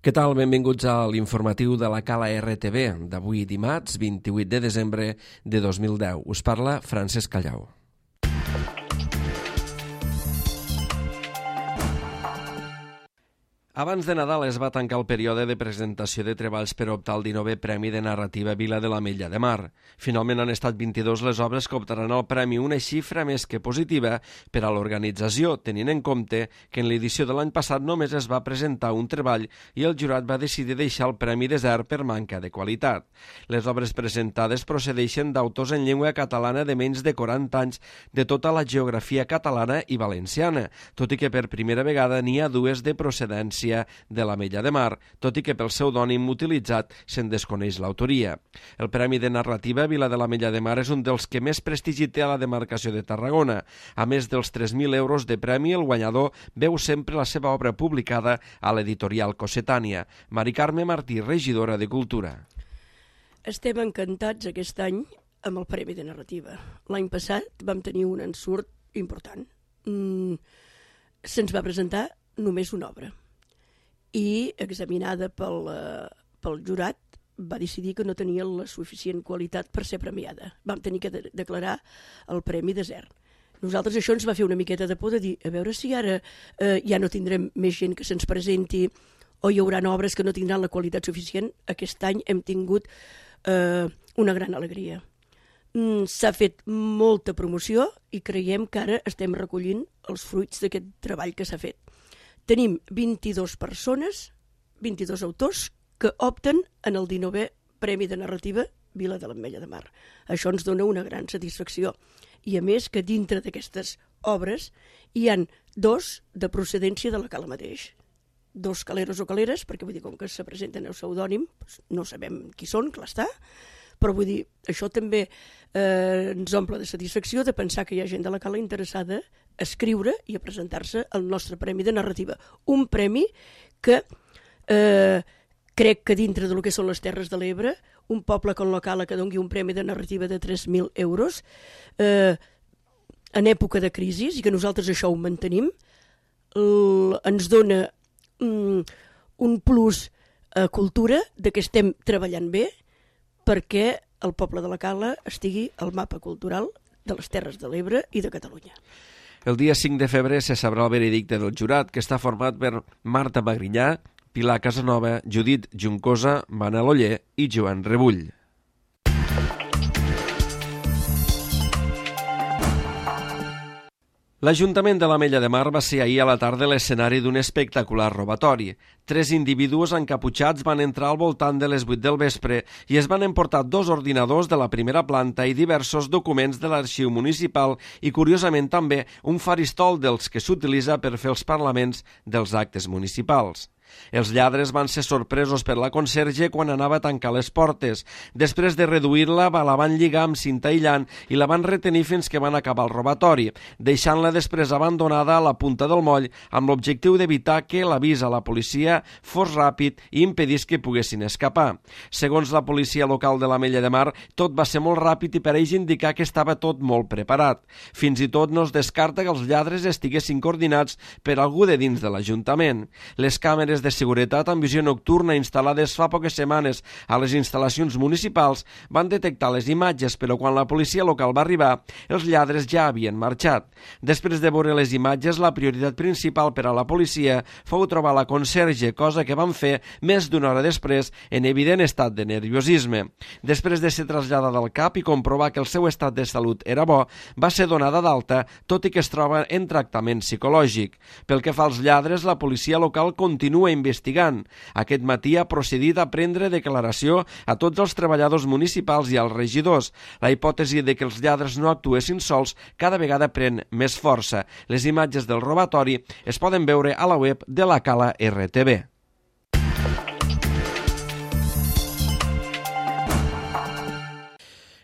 Què tal? Benvinguts a l'informatiu de la Cala RTV d'avui dimarts 28 de desembre de 2010. Us parla Francesc Callau. Abans de Nadal es va tancar el període de presentació de treballs per optar al 19è Premi de Narrativa Vila de l'Ametlla de Mar. Finalment han estat 22 les obres que optaran al premi, una xifra més que positiva per a l'organització, tenint en compte que en l'edició de l'any passat només es va presentar un treball i el jurat va decidir deixar el premi desert per manca de qualitat. Les obres presentades procedeixen d'autors en llengua catalana de menys de 40 anys de tota la geografia catalana i valenciana, tot i que per primera vegada n'hi ha dues de procedència de l'Ametlla de Mar, tot i que pel pseudònim utilitzat se'n desconeix l'autoria. El Premi de Narrativa Vila de l'Ametlla de Mar és un dels que més prestigi té a la demarcació de Tarragona. A més dels 3.000 euros de premi, el guanyador veu sempre la seva obra publicada a l'editorial Cossetània. Mari Carme Martí, regidora de Cultura. Estem encantats aquest any amb el Premi de Narrativa. L'any passat vam tenir un ensurt important. Se'ns va presentar només una obra i, examinada pel jurat, va decidir que no tenia la suficient qualitat per ser premiada. Vam tenir que declarar el premi desert. Nosaltres això ens va fer una miqueta de por de dir, a veure si ara ja no tindrem més gent que se'ns presenti o hi haurà obres que no tindran la qualitat suficient. Aquest any hem tingut una gran alegria. S'ha fet molta promoció i creiem que ara estem recollint els fruits d'aquest treball que s'ha fet. Tenim 22 persones, 22 autors, que opten en el 19è Premi de Narrativa Vila de l'Ametlla de Mar. Això ens dona una gran satisfacció. I a més que dintre d'aquestes obres hi han dos de procedència de la Cala mateix. Dos caleros o caleres, perquè vull dir, com que se presenten el pseudònim, no sabem qui són, clar està, però vull dir, això també ens omple de satisfacció de pensar que hi ha gent de la Cala interessada a escriure i a presentar-se al nostre Premi de Narrativa. Un premi que crec que dintre del que són les Terres de l'Ebre, un poble com la Cala que doni un premi de narrativa de 3.000 euros en època de crisi, i que nosaltres això ho mantenim, ens dona un plus a cultura de que estem treballant bé perquè el poble de la Cala estigui al mapa cultural de les Terres de l'Ebre i de Catalunya. El dia 5 de febrer se sabrà el veredicte del jurat, que està format per Marta Magrinyà, Pilar Casanova, Judit Juncosa, Manel Oller i Joan Rebull. L'Ajuntament de l'Ametlla de Mar va ser ahir a la tarda l'escenari d'un espectacular robatori. 3 individus encaputxats van entrar al voltant de les 8 del vespre i es van emportar 2 ordinadors de la primera planta i diversos documents de l'arxiu municipal i, curiosament, també un faristol dels que s'utilitza per fer els parlaments dels actes municipals. Els lladres van ser sorpresos per la conserge quan anava a tancar les portes. Després de reduir-la, la van lligar amb cinta aïllant i la van retenir fins que van acabar el robatori, deixant-la després abandonada a la punta del moll amb l'objectiu d'evitar que l'avís a la policia fos ràpid i impedís que poguessin escapar. Segons la policia local de l'Ametlla de Mar, tot va ser molt ràpid i pareix indicar que estava tot molt preparat. Fins i tot no es descarta que els lladres estiguessin coordinats per algú de dins de l'Ajuntament. Les càmeres de seguretat amb visió nocturna instal·lades fa poques setmanes a les instal·lacions municipals van detectar les imatges, però quan la policia local va arribar, els lladres ja havien marxat. Després de veure les imatges, la prioritat principal per a la policia fou trobar la conserge, cosa que van fer més d'una hora després en evident estat de nerviosisme. Després de ser traslladada al CAP i comprovar que el seu estat de salut era bo, va ser donada d'alta, tot i que es troba en tractament psicològic. Pel que fa als lladres, la policia local continua investigant. Aquest matí ha procedit a prendre declaració a tots els treballadors municipals i als regidors. La hipòtesi de que els lladres no actuessin sols cada vegada pren més força. Les imatges del robatori es poden veure a la web de la Cala RTV.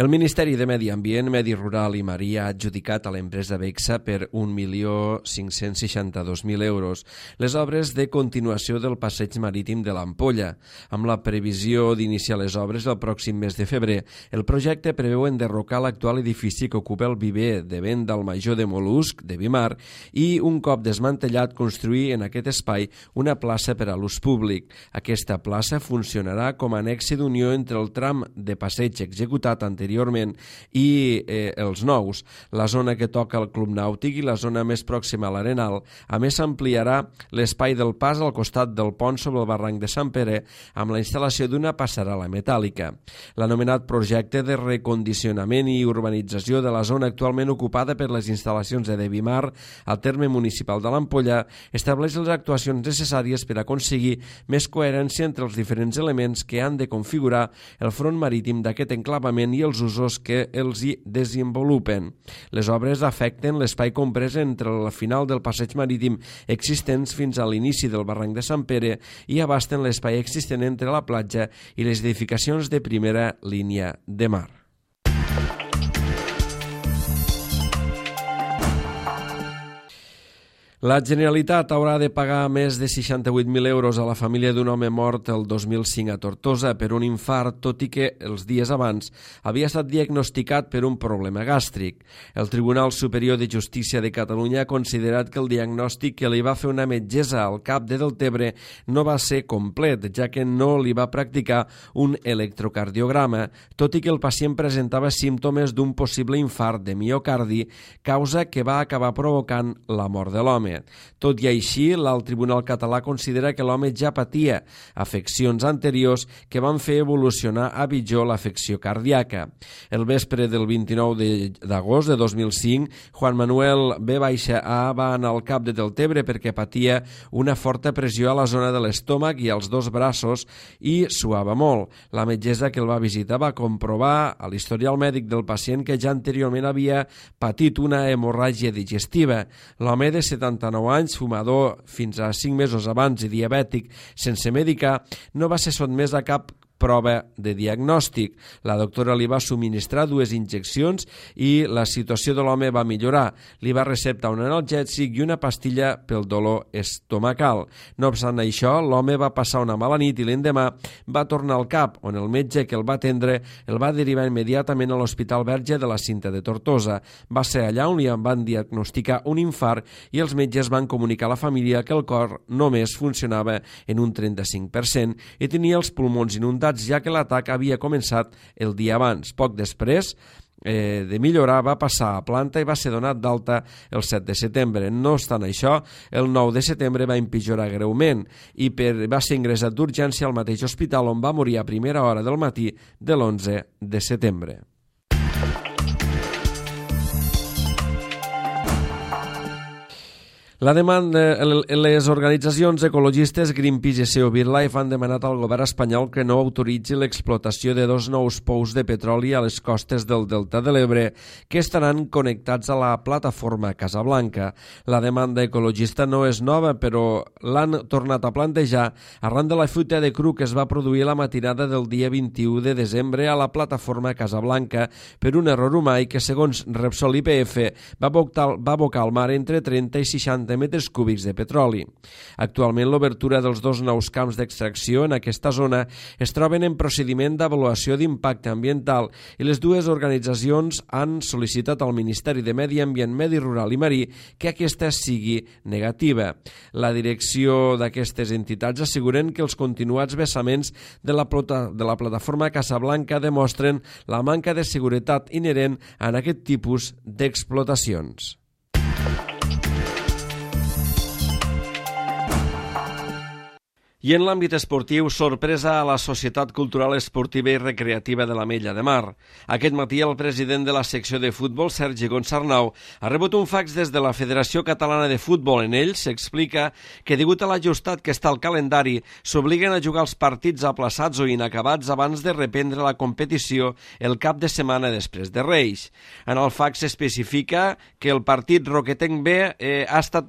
El Ministeri de Medi Ambient, Medi Rural i Maria ha adjudicat a l'empresa Bexa per 1.562.000 euros les obres de continuació del passeig marítim de l'Ampolla. Amb la previsió d'iniciar les obres el pròxim mes de febrer, el projecte preveu enderrocar l'actual edifici que ocupa el viver de vent del Major de Mol·lusc de Vimar i, un cop desmantellat, construir en aquest espai una plaça per a l'ús públic. Aquesta plaça funcionarà com a nexe d'unió entre el tram de passeig executat anteriorment i els nous, la zona que toca el Club Nàutic i la zona més pròxima a l'Arenal. A més, s'ampliarà l'espai del pas al costat del pont sobre el barranc de Sant Pere amb la instal·lació d'una passarel·la metàl·lica. L'anomenat projecte de recondicionament i urbanització de la zona actualment ocupada per les instal·lacions de Vimar al terme municipal de l'Ampolla estableix les actuacions necessàries per aconseguir més coherència entre els diferents elements que han de configurar el front marítim d'aquest enclavament i els usos que els hi desenvolupen. Les obres afecten l'espai comprès entre el final del passeig marítim existents fins a l'inici del barranc de Sant Pere i abasten l'espai existent entre la platja i les edificacions de primera línia de mar. La Generalitat haurà de pagar més de 68.000 euros a la família d'un home mort el 2005 a Tortosa per un infart, tot i que els dies abans havia estat diagnosticat per un problema gàstric. El Tribunal Superior de Justícia de Catalunya ha considerat que el diagnòstic que li va fer una metgessa al CAP de Deltebre no va ser complet, ja que no li va practicar un electrocardiograma, tot i que el pacient presentava símptomes d'un possible infart de miocardi, causa que va acabar provocant la mort de l'home. Tot i així, l'alt tribunal català considera que l'home ja patia afeccions anteriors que van fer evolucionar a pitjor l'afecció cardíaca. El vespre del 29 d'agost de 2005, Juan Manuel B.A. va anar al CAP de Deltebre perquè patia una forta pressió a la zona de l'estómac i als dos braços i suava molt. La metgessa que el va visitar va comprovar a l'historial mèdic del pacient que ja anteriorment havia patit una hemorràgia digestiva. L'home de 79 anys, fumador fins a 5 mesos abans i diabètic sense medicar, no va ser sotmès a cap prova de diagnòstic. La doctora li va subministrar 2 injeccions i la situació de l'home va millorar. Li va receptar un analgèsic i una pastilla pel dolor estomacal. No obstant això, l'home va passar una mala nit i l'endemà va tornar al CAP, on el metge que el va atendre el va derivar immediatament a l'Hospital Verge de la Cinta de Tortosa. Va ser allà on li van diagnosticar un infart i els metges van comunicar a la família que el cor només funcionava en un 35% i tenia els pulmons inundats, ja que l'atac havia començat el dia abans. Poc després de millorar va passar a planta i va ser donat d'alta el 7 de setembre. No obstant això, el 9 de setembre va empitjorar greument i va ser ingressat d'urgència al mateix hospital on va morir a primera hora del matí de l'11 de setembre. Les organitzacions ecologistes Greenpeace i SEO BirdLife han demanat al govern espanyol que no autoritzi l'explotació de 2 nous pous de petroli a les costes del Delta de l'Ebre que estaran connectats a la plataforma Casablanca. La demanda ecologista no és nova, però l'han tornat a plantejar arran de la fuita de cru que es va produir la matinada del dia 21 de desembre a la plataforma Casablanca per un error humà i que, segons Repsol IPF, va abocar al mar entre 30 i 60 metres cúbics de petroli. Actualment, l'obertura dels 2 nous camps d'extracció en aquesta zona es troben en procediment d'avaluació d'impacte ambiental i les 2 organitzacions han sol·licitat al Ministeri de Medi Ambient, Medi Rural i Marí que aquesta sigui negativa. La direcció d'aquestes entitats asseguren que els continuats vessaments de la plataforma Casablanca demostren la manca de seguretat inherent en aquest tipus d'explotacions. I en l'àmbit esportiu, sorpresa a la Societat Cultural Esportiva i Recreativa de l'Ametlla de Mar. Aquest matí el president de la secció de futbol, Sergi Gonsarnau, ha rebut un fax des de la Federació Catalana de Futbol. En ell s'explica que, degut a l'ajustat que està al calendari, s'obliguen a jugar els partits aplaçats o inacabats abans de reprendre la competició el cap de setmana després de Reis. En el fax s'especifica que el partit Roquetenc B ha estat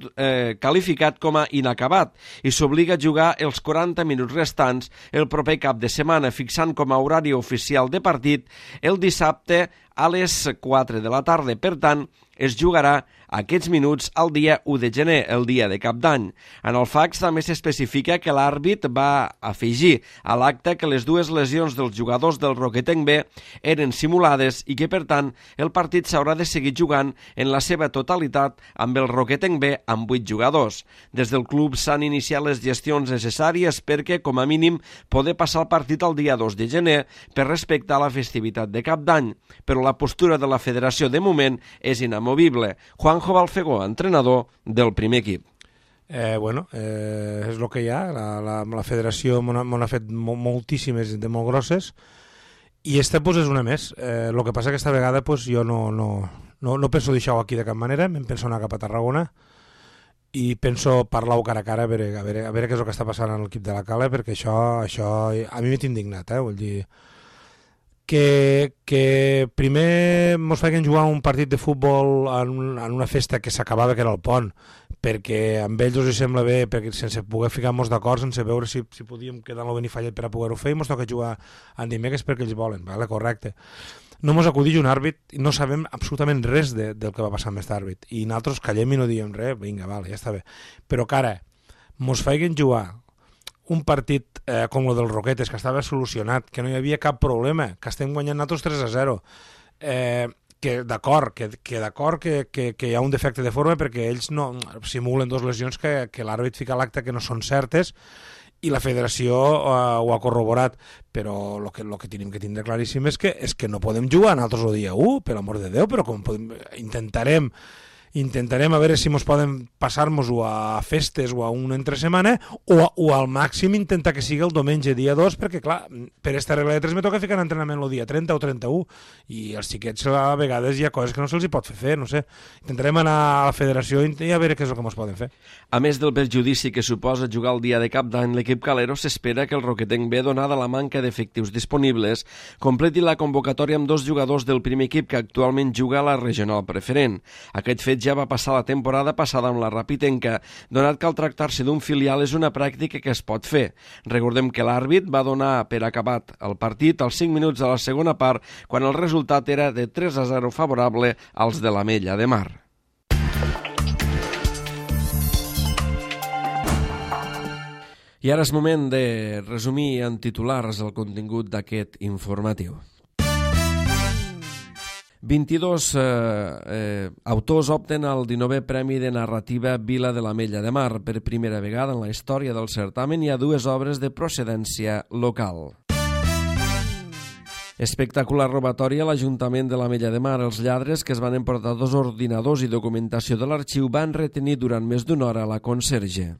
qualificat com a inacabat i s'obliga a jugar els 40 minuts restants el proper cap de setmana, fixant com a horari oficial de partit el dissabte a les 4 de la tarda. Per tant, es jugarà aquests minuts el dia 1 de gener, el dia de Cap d'Any. En el fax també s'especifica que l'àrbit va afegir a l'acte que les dues lesions dels jugadors del Roquetenc B eren simulades i que, per tant, el partit s'haurà de seguir jugant en la seva totalitat amb el Roquetenc B amb 8 jugadors. Des del club s'han iniciat les gestions necessàries perquè, com a mínim, poder passar el partit el dia 2 de gener per respectar la festivitat de Cap d'Any, però la postura de la federació de moment és inamovible. Juanjo Balfegó, entrenador del primer equip. És el que hi ha. La federació m'ha fet moltíssimes de molt grosses i esta és una més. El que passa que aquesta vegada jo no penso deixar-ho aquí de cap manera, em penso anar cap a Tarragona i penso parlar-ho cara a cara a veure què és el que està passant en l'equip de la Cala, perquè això a mi m'he indignat, vull dir que primer mos feien jugar un partit de futbol en una festa que s'acabava, que era el pont, perquè amb ells us sembla bé, perquè sense poder ficar-nos d'acord, sense veure si podíem quedar en el Benifallet per a poder-ho fer, i mos toca jugar en dimecres perquè ells volen, vale? Correcte. No mos acudeix un àrbit i no sabem absolutament res del que va passar amb aquest àrbit, i nosaltres callem i no diem res, vinga, vale, ja està bé, però que ara mos feien jugar un partit com el del Roquetes, que estava solucionat, que no hi havia cap problema, que estem guanyant nosaltres 3-0, que d'acord que hi ha un defecte de forma perquè ells no simulen 2 lesions que l'àrbit fica a l'acte que no són certes i la federació ho ha corroborat, però el que tenim que tindre claríssim és que no podem jugar nosaltres el dia 1, per l'amor de Déu, però com intentarem a veure si ens poden passar-nos-ho a festes o a una entresetmana o al màxim intentar que sigui el diumenge dia 2, perquè clar, per aquesta regla de 3 me toca ficar en entrenament el dia 30 o 31 i els xiquets a vegades hi ha coses que no se'ls pot fer, no sé. Intentarem anar a la federació i a veure què és el que ens poden fer. A més del perjudici que suposa jugar el dia de Cap d'Any, l'equip calero s'espera que el Roquetenc B, donada la manca d'efectius disponibles, completi la convocatòria amb 2 jugadors del primer equip que actualment juga a la regional preferent. Aquest fet ja va passar la temporada passada amb la Rapitenca, donat que al tractar-se d'un filial és una pràctica que es pot fer. Recordem que l'àrbit va donar per acabat el partit als 5 minuts de la segona part, quan el resultat era de 3-0 favorable als de l'Ametlla de Mar. I ara és moment de resumir en titulars el contingut d'aquest informatiu. 22 autors opten al 19è Premi de Narrativa Vila de l'Ametlla de Mar. Per primera vegada en la història del certamen hi ha 2 obres de procedència local. Espectacular robatori a l'Ajuntament de l'Ametlla de Mar. Els lladres, que es van emportar 2 ordinadors i documentació de l'arxiu, van retenir durant més d'una hora la conserge.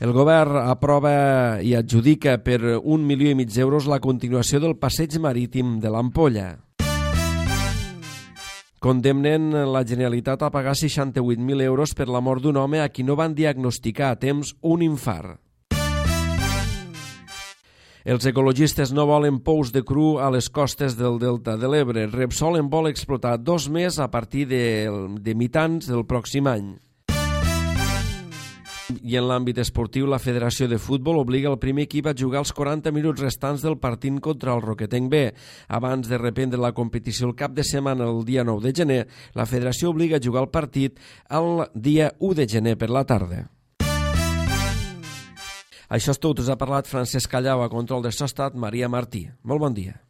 El govern aprova i adjudica per 1,5 milions d'euros la continuació del passeig marítim de l'Ampolla. Condemnen la Generalitat a pagar 68.000 euros per la mort d'un home a qui no van diagnosticar a temps un infart. Els ecologistes no volen pous de cru a les costes del Delta de l'Ebre. Repsol en vol explotar 2 més a partir de mitjans del pròxim any. I en l'àmbit esportiu, la Federació de Futbol obliga el primer equip a jugar els 40 minuts restants del partit contra el Roquetenc B. Abans de reprendre la competició el cap de setmana, el dia 9 de gener, la Federació obliga a jugar el partit el dia 1 de gener per la tarda. Això és tot. Us ha parlat Francesc Callau, a control de so ha estat Maria Martí. Molt bon dia.